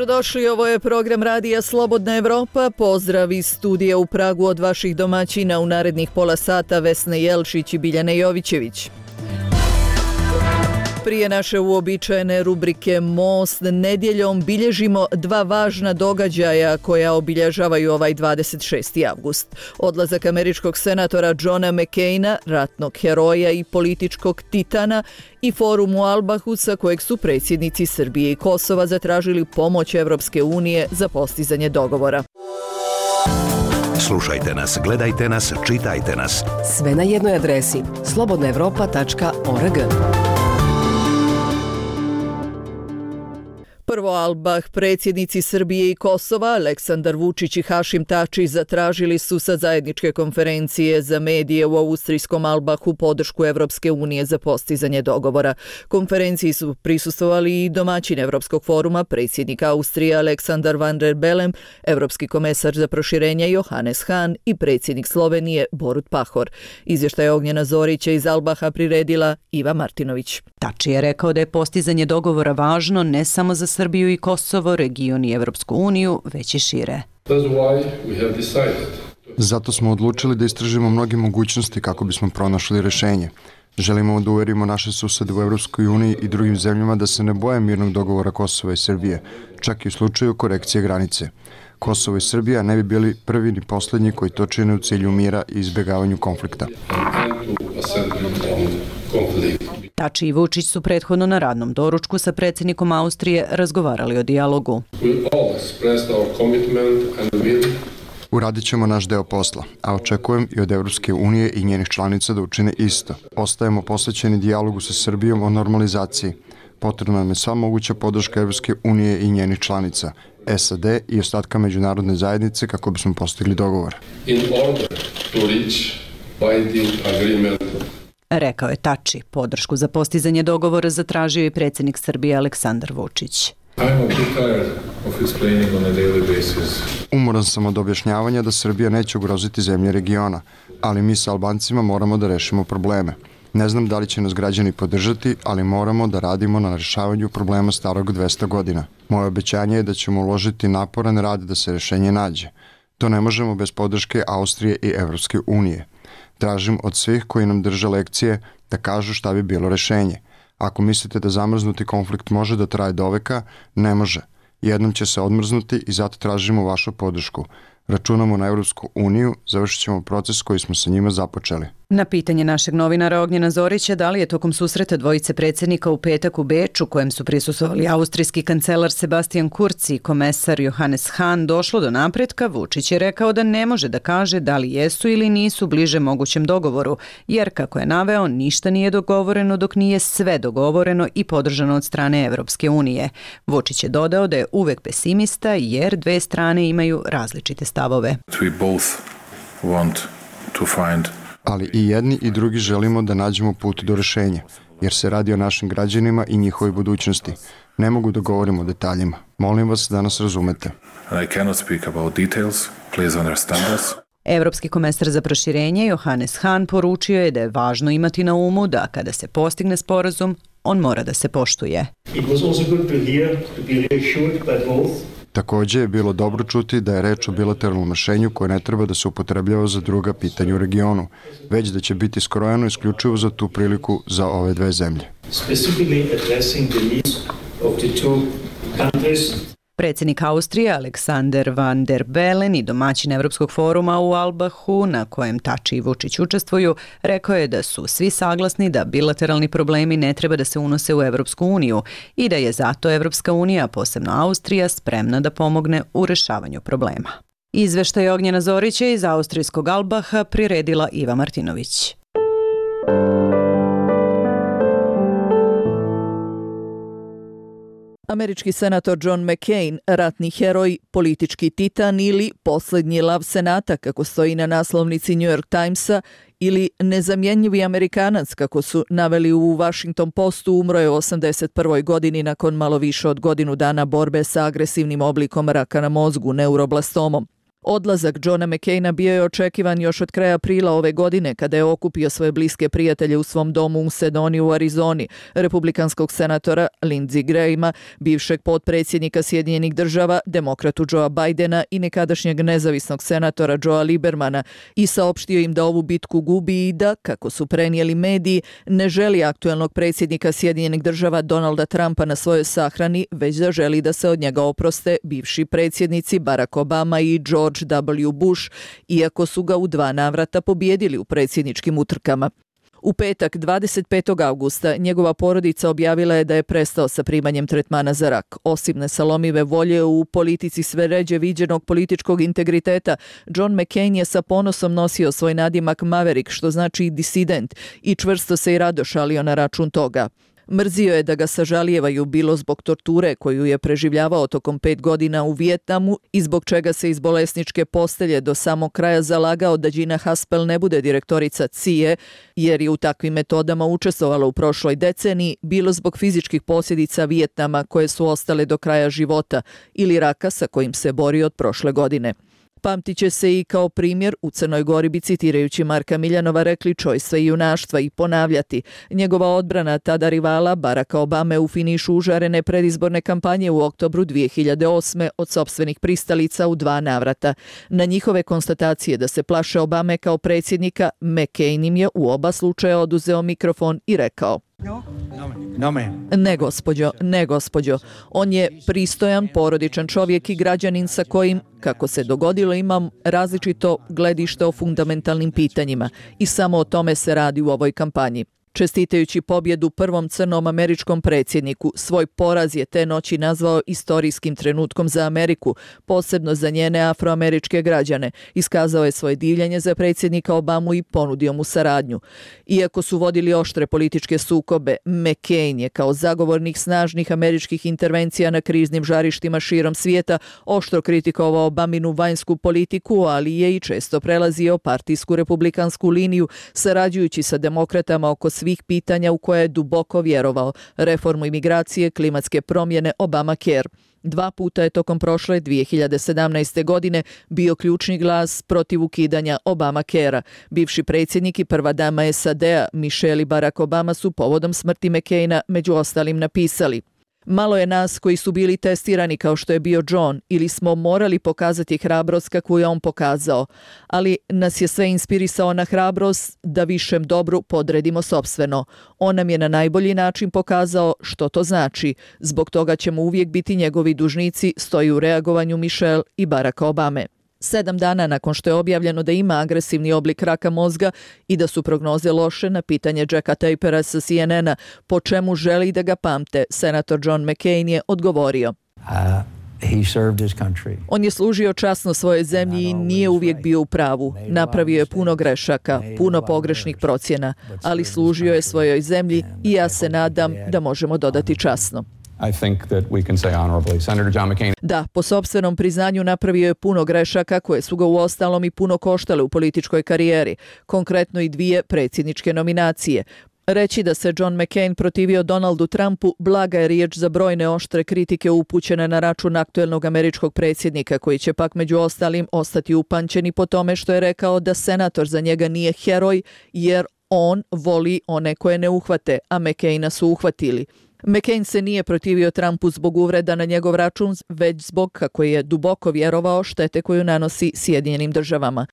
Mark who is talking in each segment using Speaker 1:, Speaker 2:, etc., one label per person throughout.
Speaker 1: Dobrodošli, ovo je program Radija Slobodna Evropa. Pozdrav iz studija u Pragu od vaših domaćina u narednih pola sata Vesne Jelčić i Biljane Jovićević. Prije naše uobičajene rubrike Most, nedjeljom bilježimo dva važna događaja koja obilježavaju ovaj 26. avgust. Odlazak američkog senatora Johna McCaina, ratnog heroja i političkog titana, i forum u Albahu sa kojeg su predsjednici Srbije i Kosova zatražili pomoć Evropske unije za postizanje dogovora.
Speaker 2: Slušajte nas, gledajte nas, čitajte nas.
Speaker 3: Sve na jednoj adresi slobodnaevropa.org.
Speaker 1: Prvo Albah, predsjednici Srbije i Kosova, Aleksandar Vučić i Hašim Tači zatražili su sa zajedničke konferencije za medije u austrijskom Albahu podršku Evropske unije za postizanje dogovora. Konferenciji su prisustvovali i domaćin Evropskog foruma, predsjednik Austrije Aleksandar Van der Bellen, evropski komesar za proširenje Johannes Hahn i predsjednik Slovenije Borut Pahor. Izvještaj Ognjena Zorića iz Albaha priredila Iva Martinović.
Speaker 4: Tači je rekao da je postizanje dogovora važno ne samo za Srbiju i Kosovo, region i Evropsku uniju, već i šire.
Speaker 5: Zato smo odlučili da istražimo mnoge mogućnosti kako bismo pronašli rješenje. Želimo da uverimo naše susede u Evropskoj uniji i drugim zemljama da se ne boje mirnog dogovora Kosova i Srbije, čak i u slučaju korekcije granice. Kosovo i Srbija ne bi bili prvi ni posljednji koji to čine u cilju mira i izbjegavanju konflikta.
Speaker 4: Tači i Vučić su prethodno na radnom doručku sa predsjednikom Austrije razgovarali o dijalogu.
Speaker 5: Uradit ćemo naš deo posla, a očekujem i od Evropske unije i njenih članica da učine isto. Ostajemo posvećeni dijalogu sa Srbijom o normalizaciji. Potrebna nam je sva moguća podrška Evropske unije i njenih članica, SAD i ostatka međunarodne zajednice kako bismo postigli dogovor.
Speaker 4: Rekao je Tači. Podršku za postizanje dogovora zatražio i predsjednik Srbije Aleksandar Vučić.
Speaker 5: Umoran sam od objašnjavanja da Srbija neće ugroziti zemlje regiona, ali mi sa Albancima moramo da rešimo probleme. Ne znam da li će nas građani podržati, ali moramo da radimo na rešavanju problema starog 200 godina. Moje obećanje je da ćemo uložiti naporan rad da se rešenje nađe. To ne možemo bez podrške Austrije i Evropske unije. Tražim od svih koji nam drže lekcije da kažu šta bi bilo rešenje. Ako mislite da zamrznuti konflikt može da traje do veka, ne može. Jednom će se odmrznuti i zato tražimo vašu podršku. Računamo na Evropsku uniju, završit ćemo proces koji smo sa njima započeli.
Speaker 4: Na pitanje našeg novinara Ognjena Zorića da li je tokom susreta dvojice predsjednika u petak u Beču, kojem su prisustvovali austrijski kancelar Sebastian Kurz i komesar Johannes Hahn, došlo do napretka, Vučić je rekao da ne može da kaže da li jesu ili nisu bliže mogućem dogovoru, jer, kako je naveo, ništa nije dogovoreno dok nije sve dogovoreno i podržano od strane Evropske unije. Vučić je dodao da je uvek pesimista jer dve strane imaju različite stavove.
Speaker 5: Ali i jedni i drugi želimo da nađemo put do rešenja, jer se radi o našim građanima i njihovoj budućnosti. Ne mogu da govorim o detaljima. Molim vas da nas razumete.
Speaker 4: Evropski komesar za proširenje Johannes Hahn poručio je da je važno imati na umu da kada se postigne sporazum, on mora da se poštuje.
Speaker 5: Također je bilo dobro čuti da je reč o bilateralnom rešenju koje ne treba da se upotrebljava za druga pitanja u regionu, već da će biti skrojeno isključivo za tu priliku za ove dve zemlje.
Speaker 4: Predsjednik Austrije Aleksandar Van der Bellen i domaćin Evropskog foruma u Albahu, na kojem Tači i Vučić učestvuju, rekao je da su svi saglasni da bilateralni problemi ne treba da se unose u Evropsku uniju i da je zato Evropska unija, posebno Austrija, spremna da pomogne u rešavanju problema. Izveštaj Ognjena Zorića iz austrijskog Albaha priredila Iva Martinović.
Speaker 1: Američki senator John McCain, ratni heroj, politički titan ili posljednji lav senata, kako stoji na naslovnici New York Timesa, ili nezamjenjivi Amerikanac, kako su naveli u Washington Postu, umro je u 81. godini nakon malo više od godinu dana borbe sa agresivnim oblikom raka na mozgu, neuroblastomom. Odlazak Johna McCaina bio je očekivan još od kraja aprila ove godine kada je okupio svoje bliske prijatelje u svom domu u Sedoni u Arizoni, republikanskog senatora Lindsey Grahama, bivšeg potpredsjednika Sjedinjenih država, demokratu Joea Bidena i nekadašnjeg nezavisnog senatora Joea Liebermana i saopštio im da ovu bitku gubi i da, kako su prenijeli mediji, ne želi aktuelnog predsjednika Sjedinjenih država Donalda Trumpa na svojoj sahrani, već da želi da se od njega oproste bivši predsjednici Barack Obama i George W. Bush, iako su ga u 2 navrata pobijedili u predsjedničkim utrkama. U petak, 25. augusta, njegova porodica objavila je da je prestao sa primanjem tretmana za rak. Osim nesalomive volje u politici sve ređe viđenog političkog integriteta, John McCain je sa ponosom nosio svoj nadimak Maverick, što znači disident, i čvrsto se i rado šalio na račun toga. Mrzio je da ga sažalijevaju bilo zbog torture koju je preživljavao tokom 5 godina u Vijetnamu i zbog čega se iz bolesničke postelje do samog kraja zalagao da Gina Haspel ne bude direktorica CIA, jer je u takvim metodama učestvovala u prošloj deceniji, bilo zbog fizičkih posljedica Vijetnama koje su ostale do kraja života ili raka sa kojim se bori od prošle godine. Pamtit će se i kao primjer, u Crnoj Gori bi citirajući Marka Miljanova rekli čojstva i junaštva i ponavljati. Njegova odbrana tada rivala Baracka Obame u finišu užarene predizborne kampanje u oktobru 2008. od sopstvenih pristalica u 2 navrata. Na njihove konstatacije da se plaše Obame kao predsjednika, McCain im je u oba slučaja oduzeo mikrofon i rekao: Ne, gospođo. On je pristojan, porodičan čovjek i građanin sa kojim, kako se dogodilo, imam različito gledište o fundamentalnim pitanjima i samo o tome se radi u ovoj kampanji. Čestitajući pobjedu prvom crnom američkom predsjedniku, svoj poraz je te noći nazvao istorijskim trenutkom za Ameriku, posebno za njene afroameričke građane. Iskazao je svoje divljenje za predsjednika Obamu i ponudio mu saradnju. Iako su vodili oštre političke sukobe, McCain je kao zagovornik snažnih američkih intervencija na kriznim žarištima širom svijeta oštro kritikovao Obaminu vanjsku politiku, ali je i često prelazio partijsku republikansku liniju, sarađujući sa demokratama oko svih pitanja u koje je duboko vjerovao: reformu imigracije, klimatske promjene, Obamacare. 2 puta je tokom prošle 2017. godine bio ključni glas protiv ukidanja Obamacarea. Bivši predsjednik i prva dama SAD-a Michelle i Barack Obama su povodom smrti McCaina među ostalim napisali: Malo je nas koji su bili testirani kao što je bio John ili smo morali pokazati hrabrost kakvu je on pokazao, ali nas je sve inspirisao na hrabrost da višem dobru podredimo sopstveno. On nam je na najbolji način pokazao što to znači. Zbog toga ćemo uvijek biti njegovi dužnici, stoji u reagovanju Michelle i Baracka Obame. 7 dana nakon što je objavljeno da ima agresivni oblik raka mozga i da su prognoze loše, na pitanje Jacka Tapera sa CNN-a po čemu želi da ga pamte, senator John McCain je odgovorio: On je služio časno svojoj zemlji i nije uvijek bio u pravu. Napravio je puno grešaka, puno pogrešnih procjena, ali služio je svojoj zemlji i ja se nadam da možemo dodati časno. Da, po sopstvenom priznanju napravio je puno grešaka koje su ga uostalom i puno koštale u političkoj karijeri, konkretno i 2 predsjedničke nominacije. Reći da se John McCain protivio Donaldu Trumpu blaga je riječ za brojne oštre kritike upućene na račun aktuelnog američkog predsjednika, koji će pak među ostalim ostati upamćeni po tome što je rekao da senator za njega nije heroj jer on voli one koje ne uhvate, a McCaina su uhvatili. McCain se nije protivio Trumpu zbog uvreda na njegov račun, već zbog, kako je duboko vjerovao, štete koju nanosi Sjedinjenim državama.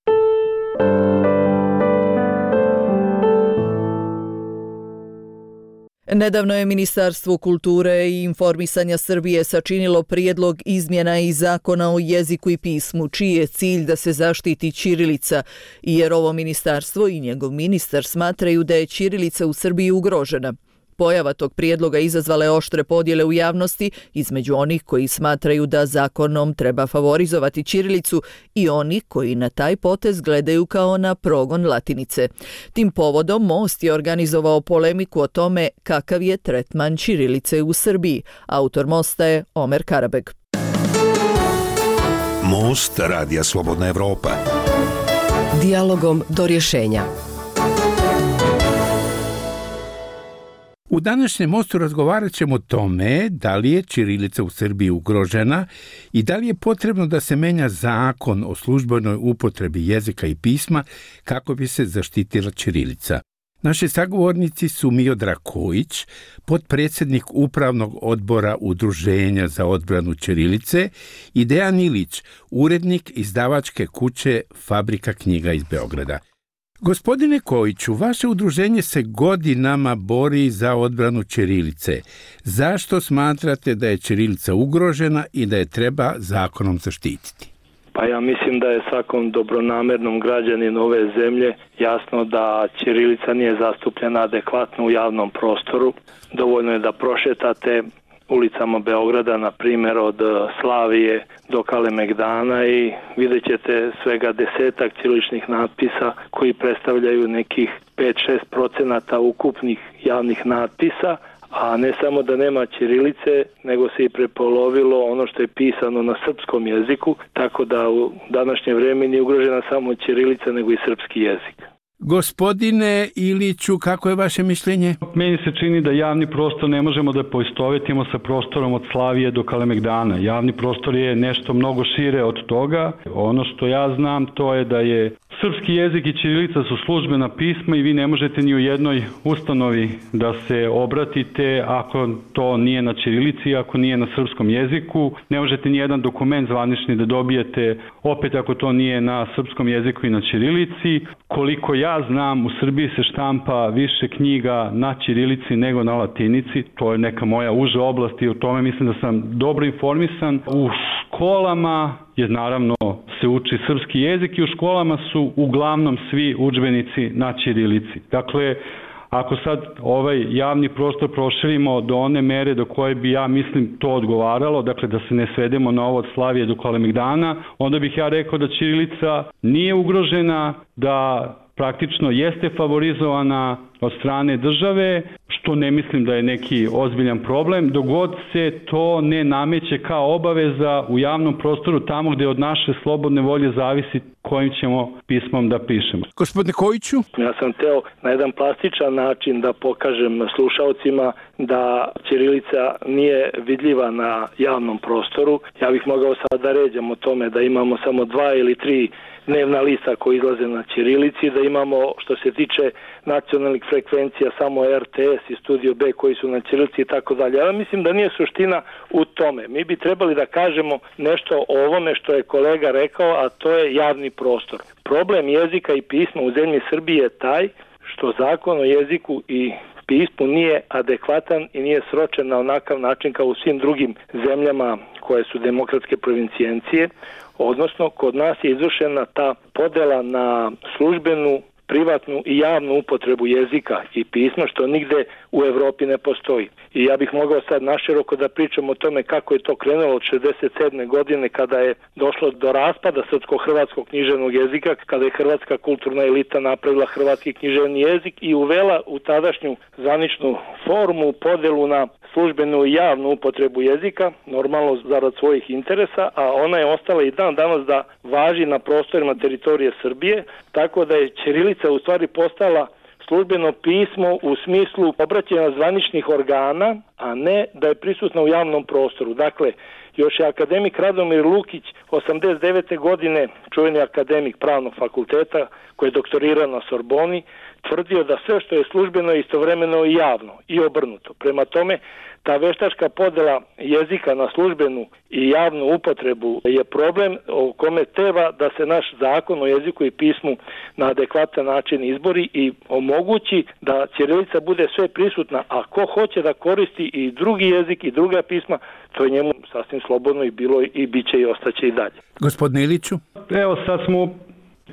Speaker 1: Nedavno je Ministarstvo kulture i informisanja Srbije sačinilo prijedlog izmjena i zakona o jeziku i pismu, čiji je cilj da se zaštiti ćirilica, jer ovo ministarstvo i njegov ministar smatraju da je ćirilica u Srbiji ugrožena. Pojava tog prijedloga izazvala je oštre podjele u javnosti između onih koji smatraju da zakonom treba favorizovati ćirilicu i oni koji na taj potez gledaju kao na progon latinice. Tim povodom Most je organizovao polemiku o tome kakav je tretman ćirilice u Srbiji. Autor Mosta je Omer Karabeg.
Speaker 2: Most Radija Slobodna Evropa.
Speaker 3: Dijalogom do rješenja.
Speaker 6: U današnjem mostu razgovarat ćemo o tome da li je ćirilica u Srbiji ugrožena i da li je potrebno da se menja zakon o službenoj upotrebi jezika i pisma kako bi se zaštitila ćirilica. Naši sagovornici su Miodrag Kojić, potpredsjednik Upravnog odbora Udruženja za odbranu ćirilice, i Dejan Ilić, urednik izdavačke kuće Fabrika knjiga iz Beograda. Gospodine Kojiću, vaše udruženje se godinama bori za odbranu ćirilice. Zašto smatrate da je ćirilica ugrožena i da je treba zakonom zaštititi?
Speaker 7: Pa ja mislim da je svakom dobronamernom građaninu ove zemlje jasno da ćirilica nije zastupljena adekvatno u javnom prostoru. Dovoljno je da prošetate ulicama Beograda, na primjer od Slavije do Kalemegdana, i vidjet ćete svega 10-ak ćiriličnih natpisa koji predstavljaju nekih 5-6% ukupnih javnih natpisa, a ne samo da nema ćirilice, nego se i prepolovilo ono što je pisano na srpskom jeziku, tako da u današnje vrijeme nije ugrožena samo ćirilica, nego i srpski jezik.
Speaker 6: Gospodine Iliću, kako je vaše mišljenje?
Speaker 8: Meni se čini da javni prostor ne možemo da poistovetimo sa prostorom od Slavije do Kalemegdana. Javni prostor je nešto mnogo šire od toga. Ono što ja znam, to je da je srpski jezik i ćirilica su službena pisma i vi ne možete ni u jednoj ustanovi da se obratite ako to nije na ćirilici, ako nije na srpskom jeziku. Ne možete ni jedan dokument zvanični da dobijete opet ako to nije na srpskom jeziku i na ćirilici. Koliko ja znam, u Srbiji se štampa više knjiga na ćirilici nego na latinici. To je neka moja uža oblast i o tome mislim da sam dobro informisan. U školama je naravno se uči srpski jezik i u školama su uglavnom svi udžbenici na ćirilici. Dakle, ako sad ovaj javni prostor proširimo do one mere do koje bi, ja mislim, to odgovaralo, dakle da se ne svedemo na ovo od Slavije do Kalemegdana, onda bih ja rekao da ćirilica nije ugrožena, da praktično jeste favorizovana od strane države, što ne mislim da je neki ozbiljan problem, dok god se to ne nameće kao obaveza u javnom prostoru tamo gde od naše slobodne volje zavisi kojim ćemo pismom da pišemo.
Speaker 6: Gospodine Kojiću?
Speaker 7: Ja sam teo na jedan plastičan način da pokažem slušaocima da ćirilica nije vidljiva na javnom prostoru. Ja bih mogao sad da ređam o tome da imamo samo 2 ili 3 dnevna lista koji izlaze na ćirilici, da imamo, što se tiče nacionalnih frekvencija, samo RTS i Studio B koji su na ćirilici i tako dalje. Ja mislim da nije suština u tome. Mi bi trebali da kažemo nešto o ovome što je kolega rekao, a to je javni prostor. Problem jezika i pisma u zemlji Srbije je taj što zakon o jeziku i pismu nije adekvatan i nije sročen na onakav način kao u svim drugim zemljama koje su demokratske provincijencije, odnosno kod nas je izvršena ta podela na službenu, privatnu i javnu upotrebu jezika i pisma, što nigde u Evropi ne postoji. I ja bih mogao sad naširoko da pričam o tome kako je to krenulo od 67. godine kada je došlo do raspada srpsko-hrvatskog književnog jezika, kada je hrvatska kulturna elita napravila hrvatski književni jezik i uvela u tadašnju zvaničnu formu podelu na službenu i javnu upotrebu jezika, normalno zarad svojih interesa, a ona je ostala i dan danas da važi na prostorima teritorije Srbije, tako da je ćirilica u stvari postala službeno pismo u smislu obraćanja zvaničnih organa, a ne da je prisutna u javnom prostoru. Dakle, još je akademik Radomir Lukić 89. godine, čuveni akademik pravnog fakulteta koji je doktorirao na Sorboni, tvrdio da sve što je službeno je istovremeno i javno i obrnuto. Prema tome, ta veštačka podela jezika na službenu i javnu upotrebu je problem o kome treba da se naš zakon o jeziku i pismu na adekvatan način izbori i omogući da ćirilica bude sve prisutna, a ko hoće da koristi i drugi jezik i druga pisma, to je njemu sasvim slobodno i bilo i biće i ostaće i dalje.
Speaker 6: Gospodine Iliću?
Speaker 8: Evo sad smo,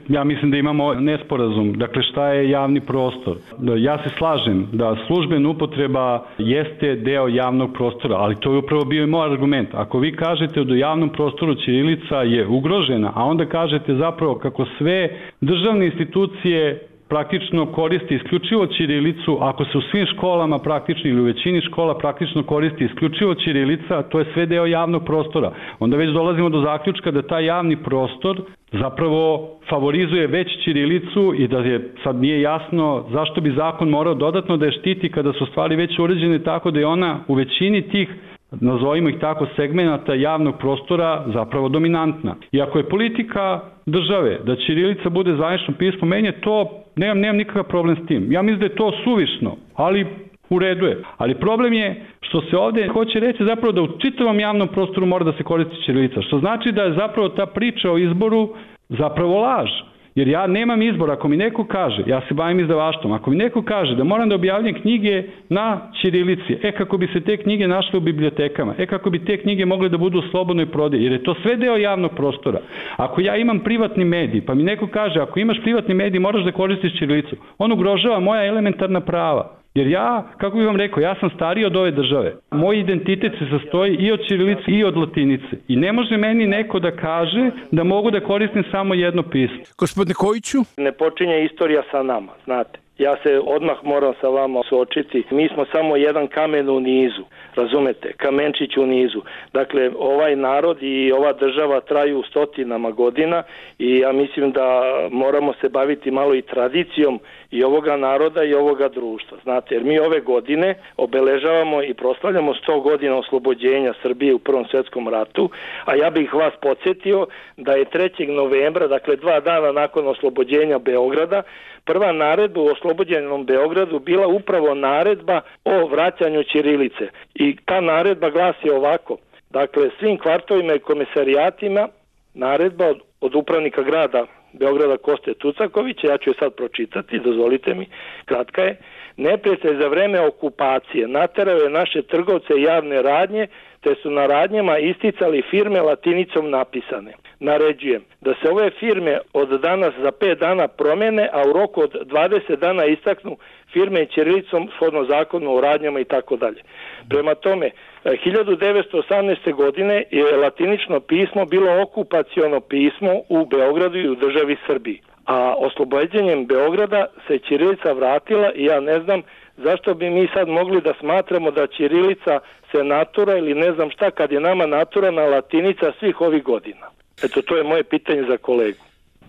Speaker 8: ja mislim da imamo nesporazum. Dakle, šta je javni prostor? Ja se slažem da službena upotreba jeste deo javnog prostora, ali to je upravo bio i moj argument. Ako vi kažete da u javnom prostoru ćirilica je ugrožena, a onda kažete zapravo kako sve državne institucije praktično koristi isključivo ćirilicu, ako se u svim školama praktično ili u većini škola praktično koristi isključivo ćirilica, to je sve deo javnog prostora. Onda već dolazimo do zaključka da taj javni prostor zapravo favorizuje već ćirilicu i da je sad nije jasno zašto bi zakon morao dodatno da je štiti kada su stvari već uređene tako da je ona u većini tih, nazovimo ih tako, segmenata javnog prostora zapravo dominantna. I ako je politika države da ćirilica bude zvanično pismo, meni je to, nemam nikakav problem s tim. Ja mislim da je to suvišno, ali u redu je. Ali problem je što se ovde hoće reći zapravo da u čitavom javnom prostoru mora da se koristi ćirilica, što znači da je zapravo ta priča o izboru zapravo laž. Jer ja nemam izbor, ako mi neko kaže, ja se bavim izdavaštvom, ako mi neko kaže da moram da objavljam knjige na ćirilici, kako bi se te knjige našle u bibliotekama, kako bi te knjige mogle da budu u slobodnoj prodaji, jer je to sve deo javnog prostora. Ako ja imam privatni medij, pa mi neko kaže, ako imaš privatni medij, moraš da koristiš ćirilicu, on ugrožava moja elementarna prava. Jer ja, kako bih vam rekao, ja sam stariji od ove države. Moj identitet se sastoji i od ćirilice i od latinice. I ne može meni neko da kaže da mogu da koristim samo jedno pismo.
Speaker 6: Gospodine Kojiću?
Speaker 7: Ne počinje istorija sa nama, znate. Ja se odmah moram sa vama suočiti. Mi smo samo jedan kamen u nizu, razumete, kamenčić u nizu. Dakle, ovaj narod i ova država traju stotinama godina i ja mislim da moramo se baviti malo i tradicijom i ovoga naroda i ovoga društva. Znate, jer mi ove godine obeležavamo i proslavljamo 100 godina oslobođenja Srbije u Prvom svjetskom ratu, a ja bih vas podsjetio da je 3. novembra, dakle 2 dana nakon oslobođenja Beograda, prva naredba u oslobođenom Beogradu bila upravo naredba o vraćanju ćirilice. I ta naredba glasi ovako, dakle svim kvartovima i komisarijatima naredba od upravnika grada Beograda Koste Tucakovića, ja ću je sad pročitati, dozvolite mi, kratka je. Neprijatelj za vreme okupacije naterao je naše trgovce i javne radnje, te su na radnjama isticali firme latinicom napisane. Naređujem da se ove firme od danas za 5 dana promene, a u roku od 20 dana istaknu firme ćirilicom shodno zakonu o radnjama i tako dalje. Prema tome, 1918. godine je latinično pismo bilo okupaciono pismo u Beogradu i u državi Srbiji. A oslobođenjem Beograda se ćirilica vratila i ja ne znam zašto bi mi sad mogli da smatramo da ćirilica se natura ili ne znam šta kad je nama naturana latinica svih ovih godina. Eto, to je moje pitanje za kolegu.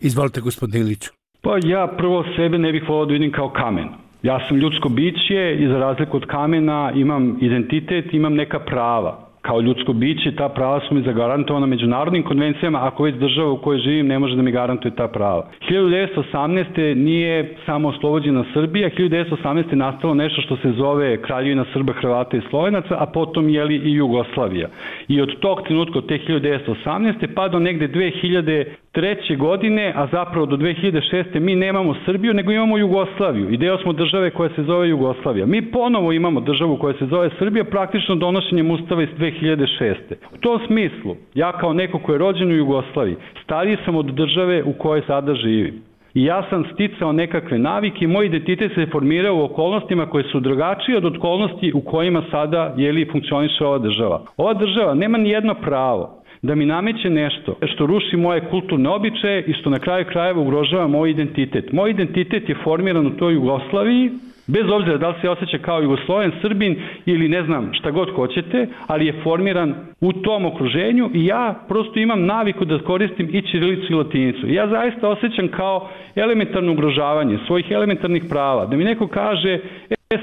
Speaker 6: Izvolite, gospodine Iliću.
Speaker 8: Pa ja prvo sebe ne bih volao da vidim kao kamen. Ja sam ljudsko biće i za razliku od kamena imam identitet, imam neka prava. Kao ljudsko biće, ta prava su mi zagarantovana međunarodnim konvencijama, ako već država u kojoj živim ne može da mi garantuje ta prava. 1918. nije samo oslobođena Srbija, 1918. je nastalo nešto što se zove Kraljevina Srba, Hrvata i Slovenaca, a potom i Jugoslavija. I od tog trenutka, od te 1918. pa do negde 2003. godine, a zapravo do 2006. mi nemamo Srbiju, nego imamo Jugoslaviju. I deo smo države koja se zove Jugoslavija. Mi ponovo imamo državu koja se zove Srbija, praktično donošenjem ustava iz 2006. U tom smislu, ja kao neko ko je rođen u Jugoslaviji, stariji sam od države u kojoj sada živim. I ja sam sticao nekakve navike i moj identitet se formirao u okolnostima koje su drugačije od okolnosti u kojima sada funkcioniše ova država. Ova država nema ni jedno pravo da mi nameće nešto što ruši moje kulturne običaje i što na kraju krajeva ugrožava moj identitet. Moj identitet je formiran u toj Jugoslaviji, bez obzira da li se osjeća kao Jugosloven, Srbin ili ne znam šta god hoćete, ali je formiran u tom okruženju i ja prosto imam naviku da koristim i ćirilicu i latinicu. Ja zaista osjećam kao elementarno ugrožavanje svojih elementarnih prava. Da mi neko kaže,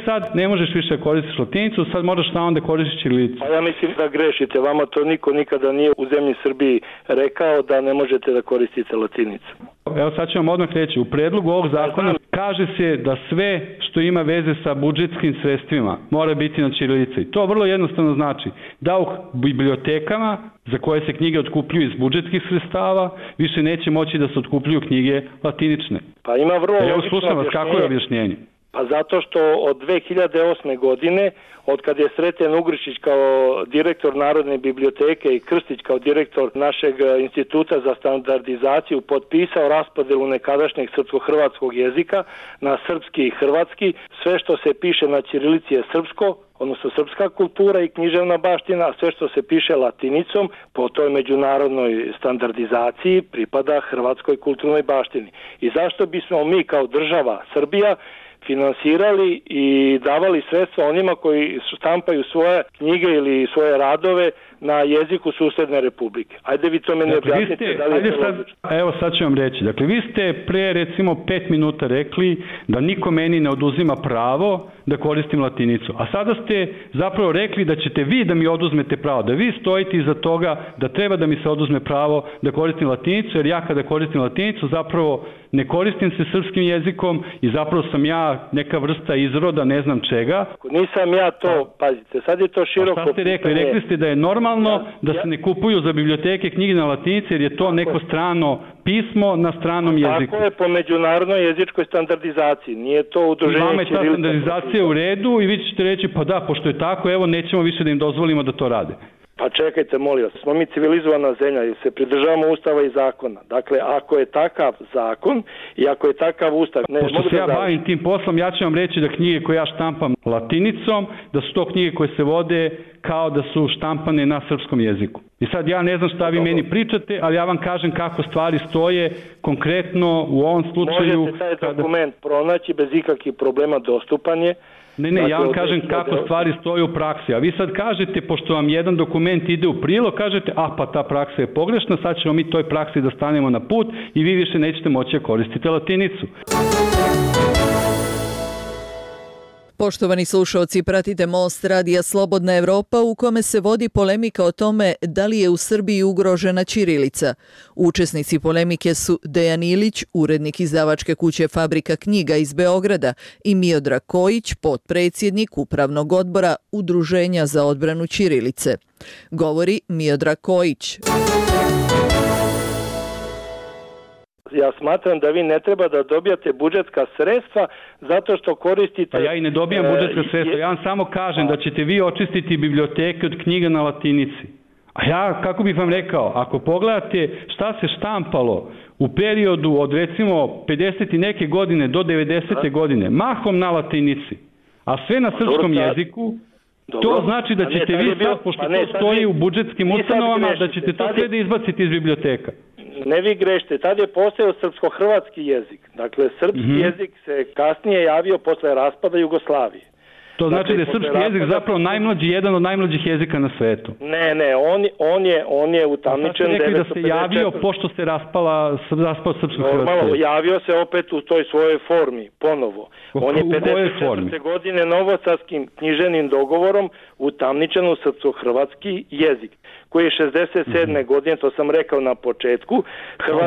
Speaker 8: sad ne možeš više koristiti latinicu, sad moraš samo da koristiš ćirilicu.
Speaker 7: A ja mislim da grešite, vama to niko nikada nije u zemlji Srbiji rekao da ne možete da koristite latinicu.
Speaker 8: Evo sad ću vam odmah reći, u predlogu ovog zakona kaže se da sve što ima veze sa budžetskim sredstvima mora biti na ćirilici. To vrlo jednostavno znači da u bibliotekama za koje se knjige otkupljuju iz budžetskih sredstava više neće moći da se otkupljuju knjige latinične.
Speaker 7: Pa ima vrlo
Speaker 8: logično objašnjenje. Slušam vas, kako je objašnjenje?
Speaker 7: Pa zato što od 2008. godine, od kad je Sreten Ugrišić kao direktor Narodne biblioteke i Krstić kao direktor našeg instituta za standardizaciju potpisao raspodelu nekadašnjeg srpsko-hrvatskog jezika na srpski i hrvatski, sve što se piše na ćirilici je srpsko, odnosno srpska kultura i književna baština, a sve što se piše latinicom po toj međunarodnoj standardizaciji pripada hrvatskoj kulturnoj baštini. I zašto bismo mi kao država Srbija finansirali i davali sredstva onima koji štampaju svoje knjige ili svoje radove na jeziku susedne republike. Ajde vi to meni objasnite da li je to logično.
Speaker 8: Evo sad ću vam reći. Dakle, vi ste pre recimo 5 minuta rekli da niko meni ne oduzima pravo da koristim latinicu. A sada ste zapravo rekli da ćete vi da mi oduzmete pravo, da vi stojite iza toga da treba da mi se oduzme pravo da koristim latinicu, jer ja kada koristim latinicu zapravo ne koristim se srpskim jezikom i zapravo sam ja neka vrsta izroda, ne znam čega.
Speaker 7: Nisam ja to, pazite, sad je to široko.
Speaker 8: A šta ste rekli? Rekli ste da je normalno da se ne kupuju za biblioteke knjige na latinici jer je to neko strano pismo na stranom jeziku.
Speaker 7: Tako je po međunarodnoj jezičkoj standardizaciji. Nije to udruženje
Speaker 8: Vama je ta standardizacija u redu i vi ćete reći pa da, pošto je tako, evo nećemo više da im dozvolimo da to rade.
Speaker 7: Pa čekajte, molim vas, smo mi civilizovana zemlja i se pridržavamo ustava i zakona. Dakle, ako je takav zakon i ako je takav ustav...
Speaker 8: Pošto se ja bavim tim poslom, ja ću vam reći da knjige koje ja štampam latinicom, da su to knjige koje se vode kao da su štampane na srpskom jeziku. I sad ja ne znam šta vi meni pričate, ali ja vam kažem kako stvari stoje konkretno u ovom slučaju...
Speaker 7: Možete taj dokument pronaći bez ikakvih problema, dostupan je.
Speaker 8: Ne, ja vam kažem kako stvari stoje u praksi, a vi sad kažete, pošto vam jedan dokument ide u prilog, kažete, pa ta praksa je pogrešna, sad ćemo mi toj praksi da stanemo na put i vi više nećete moći da koristite latinicu.
Speaker 1: Poštovani slušalci, pratite Most radija Slobodna Evropa u kome se vodi polemika o tome da li je u Srbiji ugrožena ćirilica. Učesnici polemike su Dejan Ilić, urednik izdavačke kuće Fabrika knjiga iz Beograda, i Miodrag Kojić, potpredsjednik Upravnog odbora Udruženja za odbranu ćirilice. Govori Miodrag Kojić.
Speaker 7: Ja smatram da vi ne treba da dobijate budžetska sredstva zato što koristite...
Speaker 8: Pa ja i ne dobijam budžetska sredstva, ja vam samo kažem da ćete vi očistiti biblioteke od knjiga na latinici. A ja, kako bih vam rekao, ako pogledate šta se štampalo u periodu od recimo 50 i neke godine do 90. godine, mahom na latinici, a sve na srpskom jeziku, to znači da ćete vi sad, pošto to stoji u budžetskim ustanovama, da ćete to sve da izbaciti iz biblioteka.
Speaker 7: Ne vi grešite, tad je postojao srpsko-hrvatski jezik. Dakle, srpski jezik se kasnije javio posle raspada Jugoslavije.
Speaker 8: To znači da je srpski jezik zapravo najmlađi, jedan od najmlađih jezika na svetu.
Speaker 7: Ne, on je utamničen 954.
Speaker 8: Da se javio pošto se raspao srpsko-hrvatski jezik.
Speaker 7: Javio se opet u toj svojoj formi, ponovo. On je 54. godine novosadskim knjiženim dogovorom utamničen u srpsko-hrvatski jezik, koji je 67. godine, to sam rekao na početku.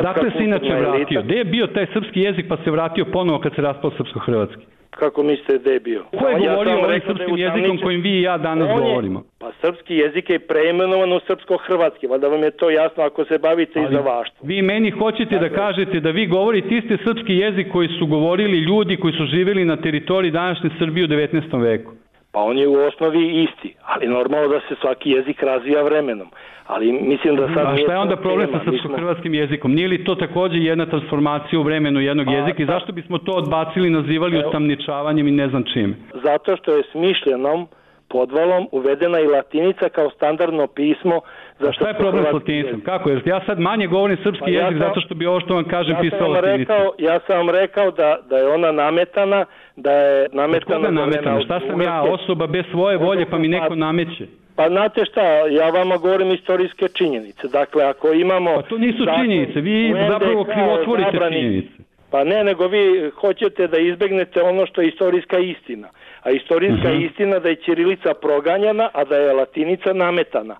Speaker 8: Dakle se inače vratio. Gde je bio taj srpski jezik pa se vratio ponovo kad se raspao srpsko-hrvatski?
Speaker 7: Kako mislite da je bio?
Speaker 8: Ko je govorio ovim srpskim jezikom kojim vi i ja danas govorimo?
Speaker 7: Pa srpski jezik je preimenovan u srpsko-hrvatski, valjda vam je to jasno ako se bavite izdavaštvom.
Speaker 8: Vi meni hoćete da kažete da vi govorite isti srpski jezik koji su govorili ljudi koji su živjeli na teritoriji današnje Srbije u 19. veku.
Speaker 7: Pa on je u osnovi isti, ali normalno da se svaki jezik razvija vremenom. Ali mislim da sad...
Speaker 8: A šta je onda problem sa srpsko-hrvatskim jezikom? Nije li to također jedna transformacija u vremenu jednog jezika i zašto bismo to odbacili, nazivali utamničavanjem i ne znam čime?
Speaker 7: Zato što je smišljenom podvalom uvedena i latinica kao standardno pismo.
Speaker 8: A šta je problem s latinicom? Kako? Jer ja sad manje govorim srpski jezik zato što bi ovo što vam kažem pisao latinicom.
Speaker 7: Ja sam vam rekao da je ona nametana, da je nametana...
Speaker 8: nametana? Šta sam ja, osoba bez svoje volje pa mi neko nameće?
Speaker 7: Pa znate šta, ja vama govorim istorijske činjenice. Dakle, ako imamo...
Speaker 8: Pa to nisu činjenice, vi zapravo krivotvorite činjenice.
Speaker 7: Pa ne, nego vi hoćete da izbegnete ono što je istorijska istina. A istorijska istina da je ćirilica proganjana, a da je latinica nametana.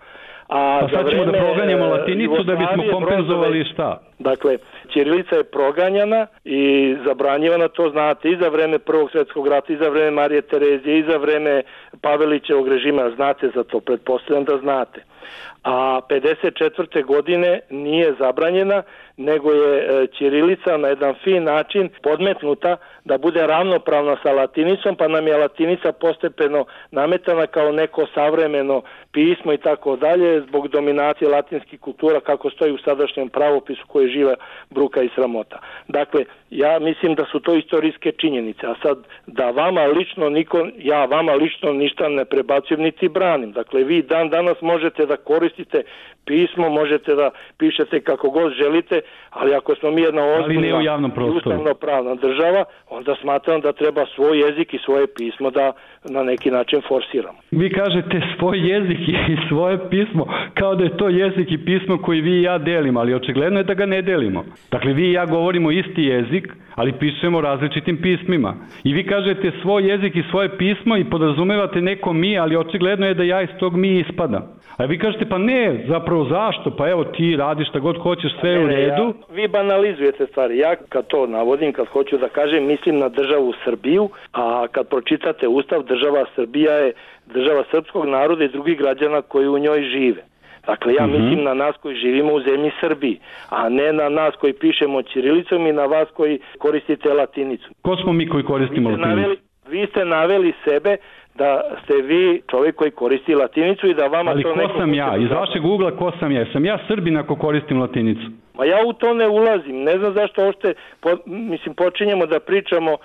Speaker 8: Pa sad ćemo da proganjamo latinicu da bismo kompenzovali šta?
Speaker 7: Dakle, ćirilica je proganjana i zabranjivana, to znate, i za vreme Prvog svjetskog rata, i za vreme Marije Terezije, i za vreme Pavelićevog režima, znate za to, pretpostavljam da znate. A 54. godine nije zabranjena, nego je ćirilica na jedan fin način podmetnuta da bude ravnopravna sa latinicom, pa nam je latinica postepeno nametana kao neko savremeno pismo i tako dalje, zbog dominacije latinskih kultura kako stoji u sadašnjem pravopisu koji živa bruka i sramota. Dakle, ja mislim da su to istorijske činjenice, a sad da vama lično ja vama lično ništa ne prebacujem niti branim. Dakle, vi dan danas možete da koristite pismo, možete da pišete kako god želite, ali ako smo mi jedna ozbiljna i ustavno-pravna država, onda smatram da treba svoj jezik i svoje pismo da na neki način forsiramo.
Speaker 8: Vi kažete svoj jezik i svoje pismo kao da je to jezik i pismo koji vi i ja delimo, ali očigledno je da ga ne delimo. Dakle, vi i ja govorimo isti jezik, ali pišemo različitim pismima. I vi kažete svoj jezik i svoje pismo i podrazumevate neko mi, ali očigledno je da ja iz tog mi ispadam. A vi kažete, pa ne, zapravo zašto? Pa evo ti radiš šta god hoćeš, sve je u redu.
Speaker 7: Vi banalizujete stvari. Ja kad to navodim, kad hoću da kažem, mislim na državu Srbiju, a kad pročitate Ustav, država Srbija je država srpskog naroda i drugih građana koji u njoj žive. Dakle, ja mislim na nas koji živimo u zemlji Srbiji, a ne na nas koji pišemo ćirilicom i na vas koji koristite latinicu.
Speaker 8: Ko smo mi koji koristimo latinicu?
Speaker 7: Vi ste naveli sebe da ste vi čovjek koji koristi latinicu i da vama
Speaker 8: ali
Speaker 7: to neko...
Speaker 8: Ali ko sam ja? Iz vašeg ugla ko sam ja? Sam ja Srbin ako koristim latinicu?
Speaker 7: Ma ja u to ne ulazim. Ne znam zašto ošte, počinjemo da pričamo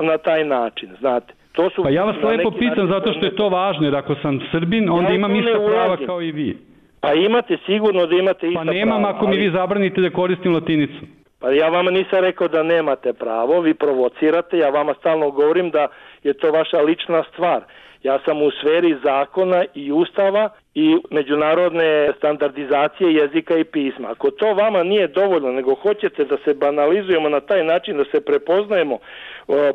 Speaker 7: na taj način, znate. To su
Speaker 8: pa ja vas lepo pitam zato što je to važno, jer ako sam Srbin, onda imam ista prava kao i vi.
Speaker 7: Pa imate sigurno da imate ista prava.
Speaker 8: Pa nemam
Speaker 7: prava,
Speaker 8: ako mi vi zabranite da koristim latinicu.
Speaker 7: Pa ja vama nisam rekao da nemate pravo, vi provocirate, ja vama stalno govorim da je to vaša lična stvar. Ja sam u sferi zakona i ustava i međunarodne standardizacije jezika i pisma. Ako to vama nije dovoljno, nego hoćete da se banalizujemo na taj način, da se prepoznajemo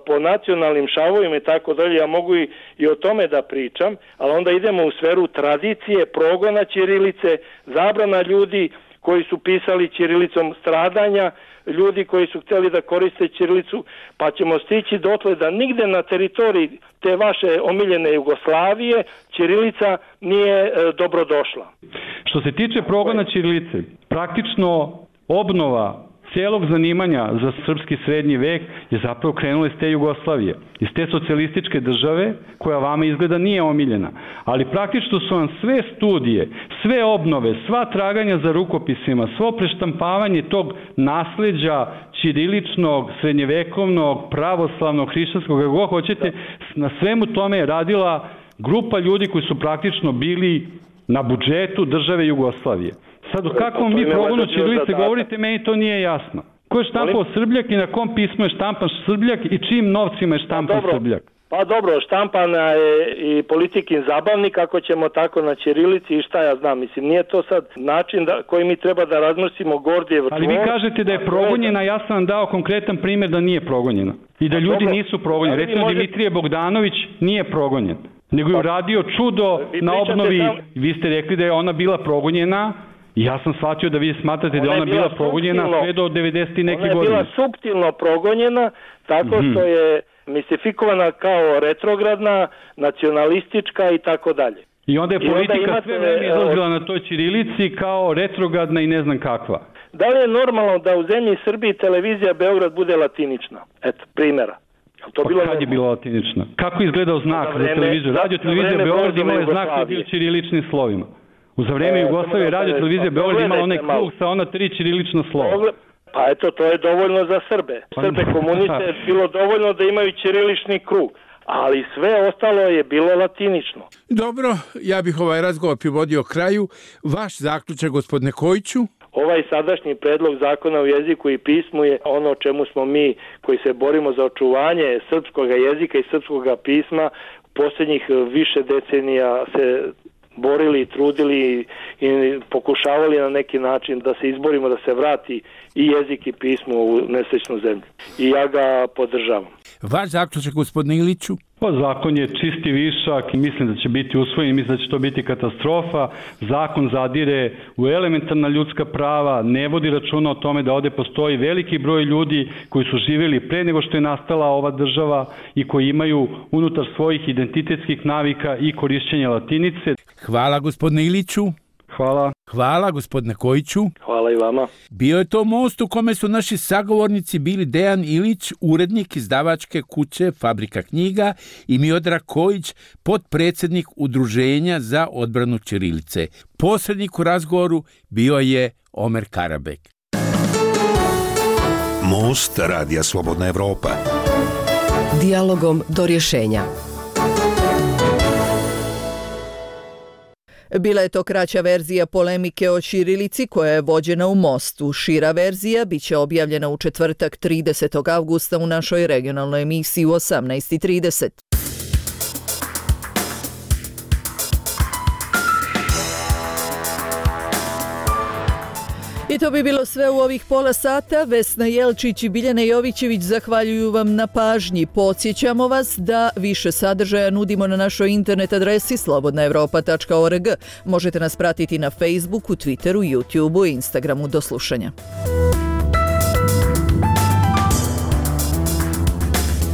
Speaker 7: po nacionalnim šavovima i tako dalje, ja mogu i o tome da pričam, ali onda idemo u sferu tradicije, progona ćirilice, zabrana ljudi koji su pisali ćirilicom, stradanja ljudi koji su htjeli da koriste ćirilicu, pa ćemo stići dotle da nigde na teritoriji te vaše omiljene Jugoslavije ćirilica nije dobrodošla.
Speaker 8: Što se tiče progona ćirilice, praktično obnova cijelog zanimanja za srpski srednji vek je zapravo krenula iz te Jugoslavije, iz te socijalističke države koja vama izgleda nije omiljena. Ali praktično su vam sve studije, sve obnove, sva traganja za rukopisima, svo preštampavanje tog nasleđa ćiriličnog, srednjevekovnog, pravoslavnog, hrišćanskog, kako god hoćete, na svemu tome je radila grupa ljudi koji su praktično bili na budžetu države Jugoslavije. Sad o kakvom vi progonu ćirilice govorite, meni to nije jasno. Ko je štampao Srbljak i na kom pismu je štampan Srbljak i čijim novcima je štampan Srbljak?
Speaker 7: Pa dobro, štampana je i Politikin zabavnik, ako ćemo tako na ćirilici i šta ja znam. Mislim, nije to sad način koji mi treba da razmrsimo Gordijev čvor.
Speaker 8: Ali vi kažete da je progonjena, ja sam vam dao konkretan primjer da nije progonjena. I da ljudi nisu progonjeni. Recimo, Dimitrije Bogdanović nije progonjen, nego je uradio čudo na obnovi. Vi ste rekli da je ona bila progonjena. Ja sam shvatio da vi smatrate da je ona bila progonjena sve do 90. neke godine.
Speaker 7: Ona je bila suptilno progonjena tako što je mistifikovana kao retrogradna, nacionalistička i tako dalje.
Speaker 8: I onda je politika sve vreme izlazila na toj ćirilici kao retrogradna i ne znam kakva.
Speaker 7: Da li je normalno da u zemlji Srbiji televizija Beograd bude latinična? Eto, primjera.
Speaker 8: Kad je bila latinična? Kako je izgledao znak za televiziju? Radio televizija Beograd imala je znak koji je bio ćiriličnim slovima. Za vreme Jugoslavije radio televizija Beograd imala onaj krug sa ona 3 ćirilična slova.
Speaker 7: Pa eto, to je dovoljno za Srbe. Srbe komuniste je bilo dovoljno da imaju ćirilični krug, ali sve ostalo je bilo latinično.
Speaker 6: Dobro, ja bih ovaj razgovor privodio kraju. Vaš zaključak, gospodine Kojiću?
Speaker 7: Ovaj sadašnji predlog zakona o jeziku i pismu je ono o čemu smo mi koji se borimo za očuvanje srpskog jezika i srpskog pisma posljednjih više decenija se borili i trudili i pokušavali na neki način da se izborimo, da se vrati i jezik i pismo u nesrećnu zemlju. I ja ga podržavam.
Speaker 6: Vaš zaključak, gospodine Iliću?
Speaker 8: Pa zakon je čisti višak i mislim da će biti usvojen, mislim da će to biti katastrofa. Zakon zadire u elementarna ljudska prava, ne vodi računa o tome da ovde postoji veliki broj ljudi koji su živjeli pre nego što je nastala ova država i koji imaju unutar svojih identitetskih navika i korišćenja latinice.
Speaker 6: Hvala, gospodine Iliću.
Speaker 8: Hvala.
Speaker 6: Hvala, gospodine Kojiću.
Speaker 7: Hvala i vama.
Speaker 6: Bio je to most u kome su naši sagovornici bili Dejan Ilić, urednik izdavačke kuće Fabrika knjiga, i Miodrag Kojić, potpredsjednik Udruženja za odbranu ćirilice. Posrednik u razgovoru bio je Omer Karabek.
Speaker 2: Most Radija Slobodna Evropa.
Speaker 3: Dijalogom do rješenja.
Speaker 1: Bila je to kraća verzija polemike o ćirilici koja je vođena u Mostu. Šira verzija biće objavljena u četvrtak 30. avgusta u našoj regionalnoj emisiji u 18:30. I to bi bilo sve u ovih pola sata. Vesna Jelčić i Biljana Jovićević zahvaljuju vam na pažnji. Podsjećamo vas da više sadržaja nudimo na našoj internet adresi slobodnaevropa.org. Možete nas pratiti na Facebooku, Twitteru, YouTubeu i Instagramu. Do slušanja.